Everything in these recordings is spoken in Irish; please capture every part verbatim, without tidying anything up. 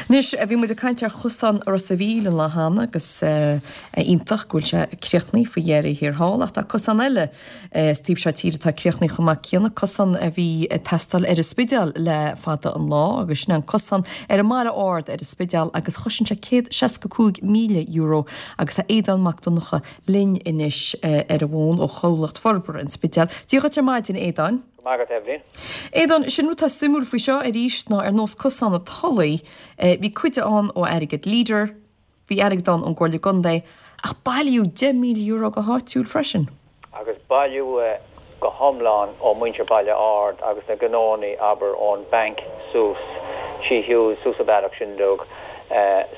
Anois, bhí muid ag caint ar chosán Ros a' Mhíl an lá cheana agus iontach go bhfuil sé críochnaithe faoi dheireadh thiar thall ach tá cosán eile sa taobh seo tíre atá críochnaithe chomh maith céanna, cosán a bhí ag teastáil ar an Spidéal le fada an lá agus sin an cosán ar an mBaile Ard ar an Spidéal agus chosain sé céad seasca cúig míle euro agus tá Aodán Mac Donncha linn anois ar an bhfón ó Chomhlacht Forbartha an Spidéil. Dia dhuit ar maidin, Aodáin. Go maith agat, Eibhlín. Aodán, sin rud atá suimiúil faoi seo arís ná ar nós cosán an Tulaigh, bhí cuid ann ó airgead Leader, bhí airgead ann ón gComhairle Contae, ach bailíodh deich míle euro go háitiúil freisin. Agus bailíodh go hiomlán ó mhuintir Baile Ard agus na gnónnaí, abair, ón banc suas trí Hughes, suas an bealach sin uilig,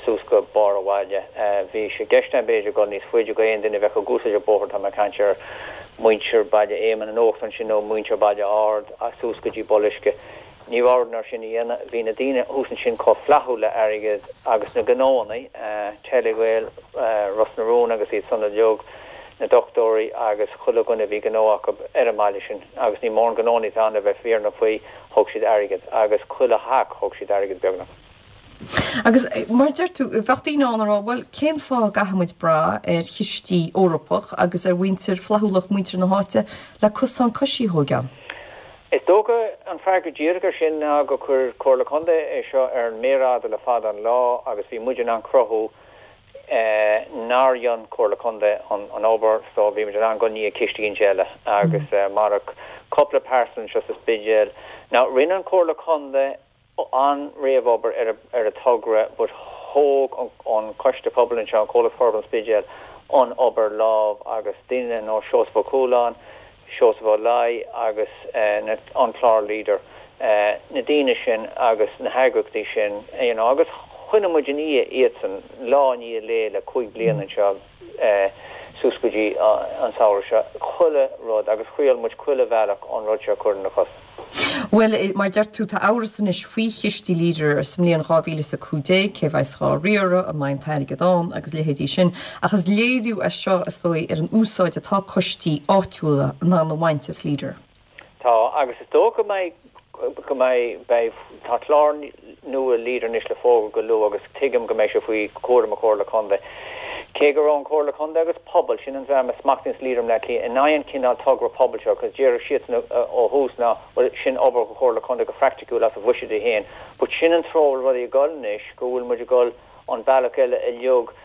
suas go barr an bhaile. Bhí sé i gceist agam b'fhéidir dul níos faide go aon duine a bheadh ag úsáid an bóthar, tá mé ag caint ar muintir Baile Éamainn in uachtar ansin nó muintir Baile Ard suas go dtí Boluisce. Ní raibh orainn é sin a dhéanamh. Bhí na daoine thuas ansin chomh flaithiúil le airgead agus na gnónnaí, Telegael, Ros na Rún agus iad san uilig, na dochtúirí agus chuile dhuine a bhí gnó acu ar an mbaile sin agus ní mórán gnónnaí atá ann le bheith fírinneach faoi, thug siad airgead agus chuile theach thug siad airgead beagnach. Agus mar a deir tú, bheadh daoine ann a rá, bhuel, cén fáth a gcaithfidh muid brath ar chistí Eorpach agus ar mhuintir, flaithiúlacht muintir na háite le cosán coisí a thógáil? Is dócha an freagra díreach ar sin ná gur chuir Comhairle Contae é seo ar an méar fhada le fada an lá agus bhí muid in ann cruthú nár dhein Comhairle Contae an obair so bhí muid in ann dul i ndiaidh ciste éicint eile agus marach cúpla pearsa anseo sa Spidéal. Now rinne an Comhairle Contae an réamhobair ar ar an togra but thóg an Coiste Pobail anseo, an Comhlacht Forbartha an Spidéil, an obair lámh agus daoine ar nós Seosamh Ó Cualáin, Seosamh Ó Laoi agus an clár Leader, na daoine sin agus na heagraíochtaí sin you know agus choinnigh muid i ndiaidh iadsan lá i ndiaidh lae le cúig bliana anseo suas go dtí an samhradh seo, chuile rud agus thriail muid chuile bhealach an rud seo a chur ina chosa. Bhuel, mar a deir tú, tá amhras anois faoi chistí Leader sa mbliain dhá mhíle is a cúig déag, cé bheas dhá riaradh, an mbeidh an t-airgead ann agus leithéidí sin. Ach is léiriú é seo, is dóigh, ar an úsáid atá coistí áitiúla in ann a bhaint as Leader. Tá, agus is dócha go mbeidh, go mbeidh, beidh, tá clár nua Leader anois le fógairt go luath agus tuigim go mbeidh sé faoi chúram na Comhairle Contae. Cé go raibh an Chomhairle Contae agus pobal, sin an dream a smachtaíonns Leader i mBleá Cliath, in aghaidh an chineál togra pobail seo, cos déarfadh siadsan ó thús ná, bhuel, sin obair do Chomhairle Contae go phraicticiúil as a bhuiséid féin. But sin an treo a bhfuil rudaí ag dul anois, go bhfuil muid ag dul an bealach eile uilig,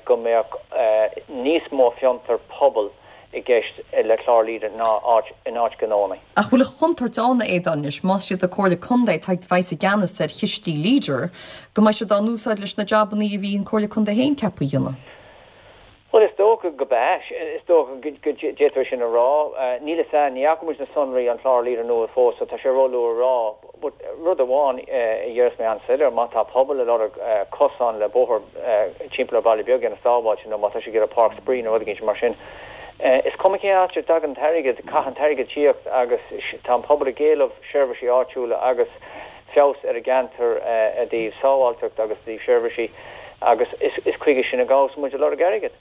go mbeadh níos mó fiontar pobail i gceist le clár Leader ná áit in áit gnónnaí. Ach bhfuil an chontúirt ann, a Aodáin, anois, más iad an Comhairle Contae atá a bheas i gceannas ar chistí Leader, go mbeidh siad á n-úsáid leis na jabannaí a bhí an Comhairle Contae féin ceaptha a dhéanamh? Bhuel, is dócha go b'ea. Is dócha go d'fhéadfá sin a rá. Níl fhios a'inn, ní fhaca muid na sonraí an chlár Leader nua fós, so tá sé róluath a rá. But rud amháin a déarfas mé an-soiléir, má tá pobal ag lorg cosán le bóthar timpeall ar baile beag a dhéanamh sábháilte nó má tá siad ag iarraidh páirc spraoi nó rud éigin mar sin, is cuma cén áit a dtagann an t-airgead, caithfidh an t-airgead tíocht agus tá an pobal ag éileamh seirbhísí áitiúla agus feabhas ar an gceantar i dtaobh sábháilteacht agus i dtaobh seirbhísí agus is chuige sin a ghabhas muid ag lorg airgid.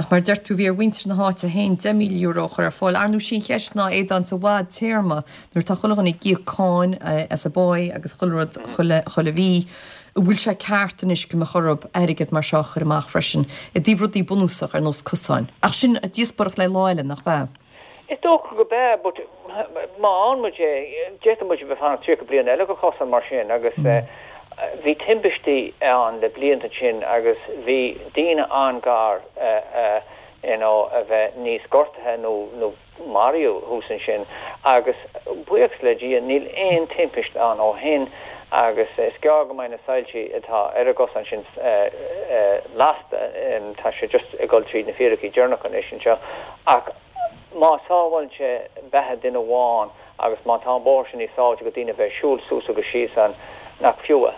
Ach mar a deir tú, bhí ar mhuintir na háite féin deich míle euro a chur ar fáil. Ar ndóigh, sí an cheist ná, Aodán, sa bhfadtéarma, nuair atá chuile dhuine ag íoc cáin as a bpáigh agus chuile rud chuile chuile mhí, an bhfuil sé ceart anois go mbeadh orthu airgead mar seo a chur amach freisin i dtaobh rudaí bunúsach ar nós cosáin? Ach sin díospóireacht le lá eile, nach ea? Is dócha go b'ea, but má fhaigheann muid é, d'fhéadfadh muid a bheith ag fanacht tríocha bliain eile go cosán mar sin agus bhí timpistí ann le blianta ansin agus bhí daoine an-ghar you know a bheith níos gortaithe nó nó maraíodh thuas ansin agus buíochas le Dia níl aon timpist ann ó shin agus is gearr go mbeidh na soilsí atá ar an gcosán sin lasta, tá sé just ag dul tríd na fíricí deireanacha anois anseo ach Má sábhálann sé beatha duine amháin agus má tá an bóthar sin níos sábháilte go daoine a bheith ag siúl suas agus síos ann, nach fiú é?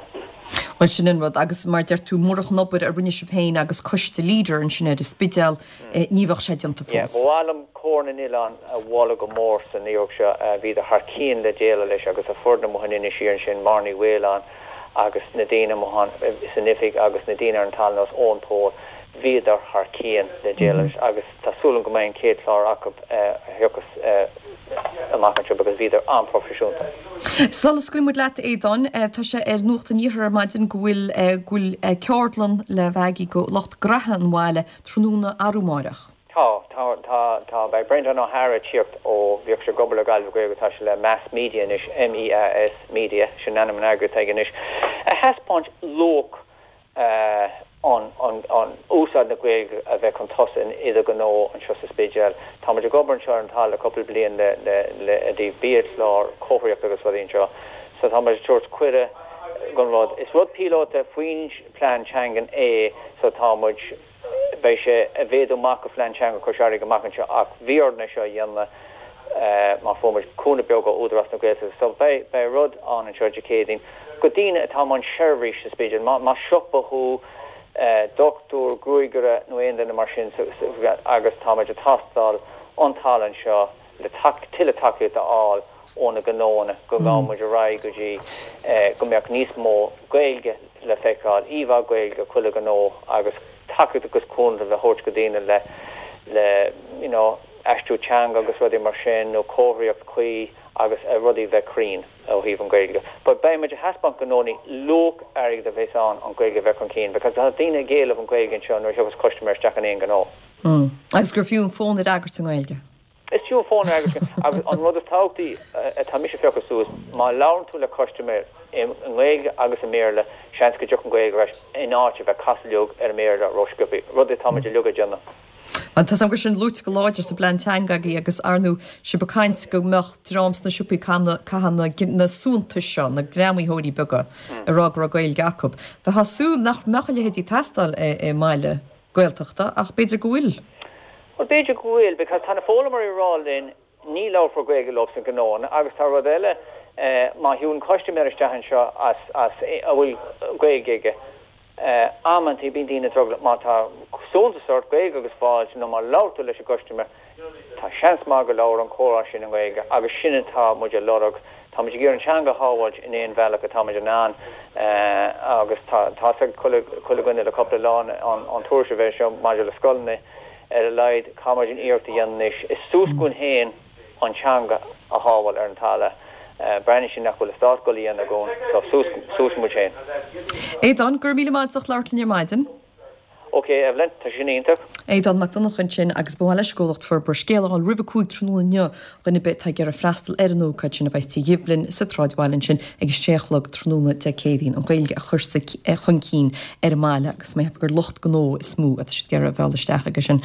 Bhuel, sin an rud. Agus mar a deir tú, murach an obair a rinne sibh féin agus coiste Leader ansin ar an Spidéal, ní bheadh sé déanta Yeah, fós. ba mhaith liom Comhar na nOileán a mholadh go mór san iarracht seo. Bhíodar thar cionn le déileáil leis agus a foireann amuigh in Inis Oírr ansin, Máire Ní Mhaoláin agus na daoine amuigh ann san oifig agus na daoine ar an talamh ar nós Eoin Pól. Bhíodar thar cionn le déileáil agus tá súil agam go mbeidh an chéad chlár acu a thiocfas amach anseo because bhíodar an-proifisiúnta. Sula scaoilfidh muid leat Aodán, tá sé ar Nuacht an Iarthair ar maidin go bhfuil go bhfuil ceardlann le bheith agaibh go lucht gnaithe an bhaile tráthnóna arú amárach. Tá tá tá tá beidh Brendan O'Hara ag tíocht ó bhíodh sé ag obair le Gaillimh Gaeilge tá sé le Meas Media anois MEAS Media sin ainm an eagraíocht aige anois. A thaispeáint luach uh, an, an, an úsáid na Gaeilge a bheith chun tosaigh in idirghnó anseo sa Spidéal. Tá muid ag obair anseo ar an talamh le cúpla bliain le le le i dtaobh biachlár comharthaíocht agus rudaí anseo. So tá muid ag tabhairt cuireadh gon rud. Is rud píolóta faoin plean teangan é so tá muid beidh sé a mhéadú amach go plean teanga Chois Fharraige amach anseo ach bhí orainn seo a dhéanamh uh, má fuair muid cúnamh beag ó Údarás na Gaeltachta. So beidh beidh rud ann anseo Dé Céadaoin go daoine atá an seirbhís sa Spidéal má má siopa thú uh, dochtúir gruagaire nó aon duine mar sin so, so, agus táimid ag tástáil an tallann seo le tuilleadh tacaíocht a fháil ó na gnónna go gabhfaidh muid ar aghaidh go dtí eh, go mbeadh níos mó Gaeilge le feiceáil íomhá Gaeilge chuile gnó agus tacaíocht agus cúnamh le thabhairt go daoine le le you know, aistriú teanga agus rudaí mar sin nó comharthaíocht chuí agus a rudaí bheith cruinn ó thaobh an Gaeilge. But beidh muid ag taispeáint gnónna luach airgid a bheith ann an Gaeilge bheith chun cinn, because tá daoine ag éileamh an Gaeilge anseo nuair a thiocfas customer isteach in aon ghnó. Mm. Agus gur fiú an fón a fhreagairt i nGaeilge. Is fiú an fón a fhreagairt agus an rud is tábhachtaí atá mise ag féachaint suas má labhrann tú le customer i nGaeilge agus i mBéarla seans go dtiocfaidh an Gaeilge leis in áit a bheith casadh ar an mBéarla ró-sciobtha, rud atá muid uilig ag déanamh. An tá gur sin luaite go láidir sa bplean teanga agus arnú si becaint go mbeadh dream sna siopaí cathan na suantas seo na greamaitheoirí beaga a rá go raibh Gaeilge acu. Bheifeá ag súil nach mbeadh a leithéidí ag teastáil i mbaile Gaeltachta ach b'fhéidir go bhfuil. Well b'fhéidir go bhfuil because tá na foghlaimeoirí ag rá linn ní labharfar Gaeilge leo san gnó agus tá rud eile eh, má thagann customer isteach anseo as as a bhfuil Gaeilge aige. Uh, amantaí bíonn daoine drogallach má tá suntas ort Gaeilge agus fáilte nó má labhair tú leis an customer tá seans maith go labhair an comhrá sin an Gaeilge agus sin atá muid ag lorg Tá muid ag iarraidh an teanga a shábháilt in aon bhealach atá muid in ann uh, agus tá ag chuile dhuine le cúpla lá an, an tuairisc a bheith seo maidir le scoileanna ar a laghad caithfimid an iarracht a dhéanamh is suas chugainn féin an teanga a shábháil ar an talamh. Uh, Breathnaíonn sé nach bhfuil stát ag goil a dhéanamh so suas muid féin. Aodán gur míle maith as labhairt linn ar maidin. Ok, Evelyn, tá sin iontach. Aodán Mac Donncha ansin agus ba leis gcomhlacht forbar scéal roimh a cúig tráthnóna inniu dhuine bit ag ar a freastal ar an ócáid sin a bheidh Tigh Ghiblin sa tsráidbhaile ansin ag sé a chlog tráthnóna Dé Céadaoin an Ghaeilge a chur chun cinn ar an mbaile agus mé gur lucht gnó is mó atá siad ag iarraidh a mhealladh isteach agus sin.